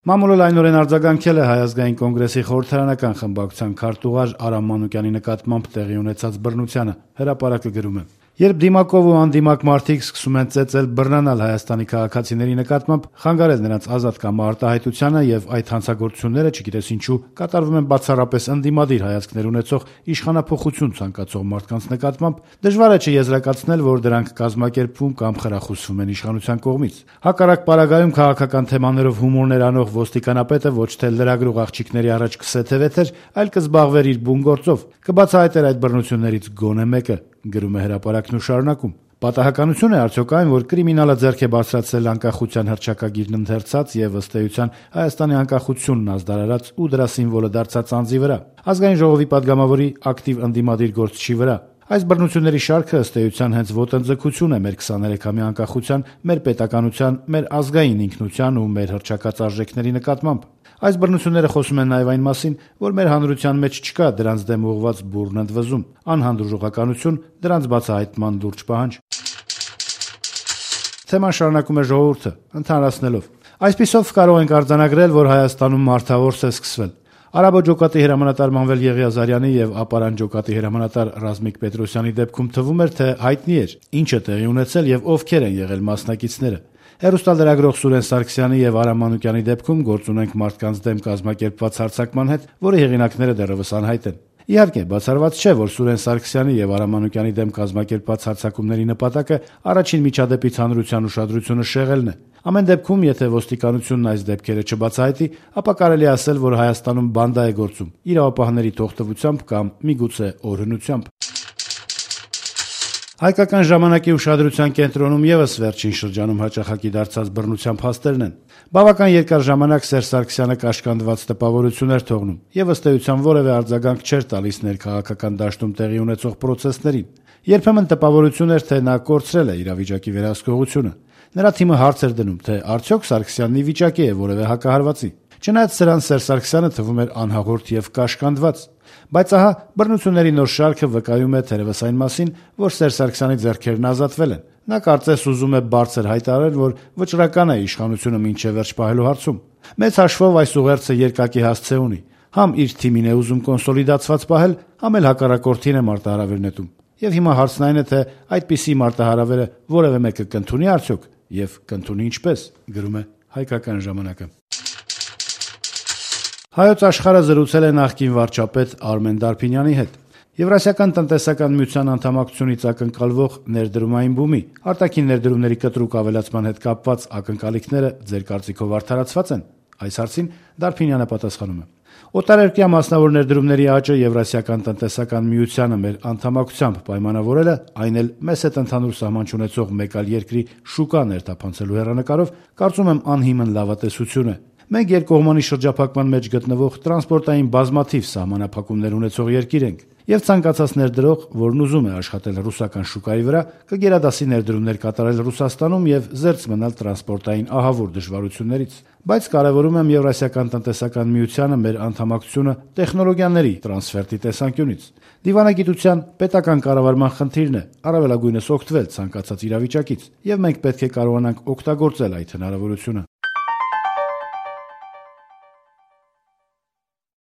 Մամուլը լայնորեն արձագանքել է Հայ ազգային կոնգրեսի խորհրդարանական խմբակցության քարտուղար Արամ Մանուկյանի նկատմամբ տեղի ունեցած բռնությանը։ Հրապարակը գրում է. Երբ դիմակով ու անդիմակ մարդիկ սկսում են ծեծել բռնանալ Հայաստանի քաղաքացիների նկատմամբ, խանգարել նրանց ազատ կամ արտահայտությանը եւ այդ հանցագործությունները, չգիտես ինչու, կատարվում են բացառապես ընդդիմադիր հայացքներ ունեցող իշխանափոխություն ցանկացող մարդկանց նկատմամբ, դժվար է չեզրակացնել, որ դրանք կազմակերպվում կամ խրախուսվում են իշխանության կողմից։ Հակառակ պարագայում քաղաքական թեմաներով հումորներ անող ոստիկանապետը ոչ թե լրագրող աղջիկների առաջ կսեթևեթեր, այլ կզբաղվեր իր բուն գործով, կբացահայտեր այդ բռնություններից գոնե մեկը, գրում է հրապարակն ու շարունակում. Պատահականություն է արդյոք այն, որ կրիմինալը ձեռք է բարձրացրել անկախության հռչակագիրն ընթերցած եւ ըստ էության Հայաստանի անկախությունն ազդարարած ու դրա սիմվոլը դարձած անձի վրա, ազգային ժողովի падգամավորի ակտիվ ընդդիմադիր գործչի վրա։ Այս բռնությունների շարքը ըստ էության հենց ոտնձգություն է մեր 23-ամյա անկախության, մեր պետականության, մեր ազգային ինքնության ու մեր հռչակած արժեքների նկատմամբ։ Այս բռնությունները խոսում են նաև այն մասին, որ մեր հանրության մեջ չկա դրանց դեմ ուղղված բուռն ընդվզում, անհանդուրժողականություն, դրանց բացահայտման լուրջ պահանջ։ Թեման շարունակում է Ժողովուրդը, ընդհանրացնելով. Այսպիսով կարող ենք արձանագրել, որ Հայաստանում մարդավորս է սկսվել։ Արաբո ջոկատի հրամանատար Մանվել Եղիազարյանի եւ Ապարան ջոկատի հրամանատար Ռազմիկ Պետրոսյանի դեպքում թվում էր, թե հայտնի էր, ինչ է տեղի ունեցել եւ ովքեր են եղել մասնակիցները։ Հեռուստալրագրող Սուրեն Սարգսյանի եւ Արամ Մանուկյանի դեպքում գործ ունենք մարդկանց դեմ կազմակերպված հարձակման հետ, որի հեղինակները դեռևս անհայտ են։ Իհարկե, բացառված չէ, որ Սուրեն Սարգսյանի եւ Արամ Մանուկյանի դեմ կազմակերպված հարձակումների նպատակը առաջին միջադեպից հանրության ուշադրությունը շեղելն է։ Ամեն դեպքում, եթե ոստիկանությունն այս դեպքերը չբացահայտի, ապա կարելի է ասել, որ Հայաստանում բանդա է գործում, իրավապահների թողտվությամբ կամ միգուցե օրհնությամբ։ Հայկական ժամանակի ուշադրության կենտրոնում եւս վերջին շրջանում հաճախակի դարձած բռնության փաստերն են։ Բավական երկար ժամանակ Սերժ Սարգսյանը կաշկանդված տպավորություն էր թողնում եւ ըստ էության որևէ արձագանք չէր տալիս ներքաղաքական դաշտում տեղի ունեցող պրոցեսներին։ Երբեմն տպավորություն էր, թե նա կորցրել է իրավիճակի վերահսկողությունը։ Նրա թիմը հարց էր դնում, թե արդյոք Սարգսյանն ի վիճակի է որևէ հակահարվածի։ Չնայած սրան Սերժ Սարգսյանը թվում էր անհաղորդ եւ կաշկանդված։ Բայց ահա բռնությունների նոր շարքը վկայում է թերևս այն մասին, որ Սերժ Սարգսյանի ձեռքերն ազատվել են։ Նա կարծես ուզում է բարձր հայտարարել, որ վճռական է իշխանությունը մինչև վերջ պահելու հարցում։ Մեծ հաշվով այս ուղերձը երկակի հասցե ունի։ Համ իր թիմին է ուզում կոնսոլիդացված պահել, համ էլ հակառակորդին է մարտահրավեր նետում։ Եվ հիմա հարցն այն է, թե այդպիսի մարտահրավերը որևէ մեկը կընդունի արդյոք եւ կընդունի ինչպես, գրում է Հայկական ժամանակը։ Հայոց աշխարհը զրուցել է նախկին վարչապետ Արմեն Դարփինյանի հետ։ Եվրասիական տնտեսական միության անդամակցությունից ակնկալվող ներդրումային բումի, արտաքին ներդրումների կտրուկ ավելացման հետ կապված ակնկալիքները ձեր կարծիքով արդարացված են։ Այս հարցին Դարփինյանը պատասխանում է. Օտարերկրյա մասնավոր ներդրումների աճը Եվրասիական տնտեսական միությանը մեր անդամակցությամբ պայմանավորելը, այն էլ մեծ հետ ընդհանուր սահման չունեցող մեկ այլ երկրի շուկա ներթափանցելու հեռանկարով, կարծում եմ անհիմն լավատեսություն է։ Մենք երկկողմանի շրջափակման մեջ գտնվող տրանսպորտային բազմաթիվ սահմանափակումներ ունեցող երկիր ենք, եւ ցանկացած ներդրող, որն ուզում է աշխատել ռուսական շուկայի վրա, կգերադասի ներդրումներ կատարել Ռուսաստանում եւ զերծ մնալ տրանսպորտային ահավոր դժվարություններից։ Բայց կարևորում եմ Եվրասիական տնտեսական միությանը մեր անդամակցությունը տեխնոլոգիաների տրանսֆերտի տեսանկյունից։ Դիվանագիտության պետական կառավարման խնդիրն է առավելագույնս օգտվել ցանկացած իրավիճակից, եւ մենք պետք է կարողանանք օգտագործել այդ հնարավորությունը։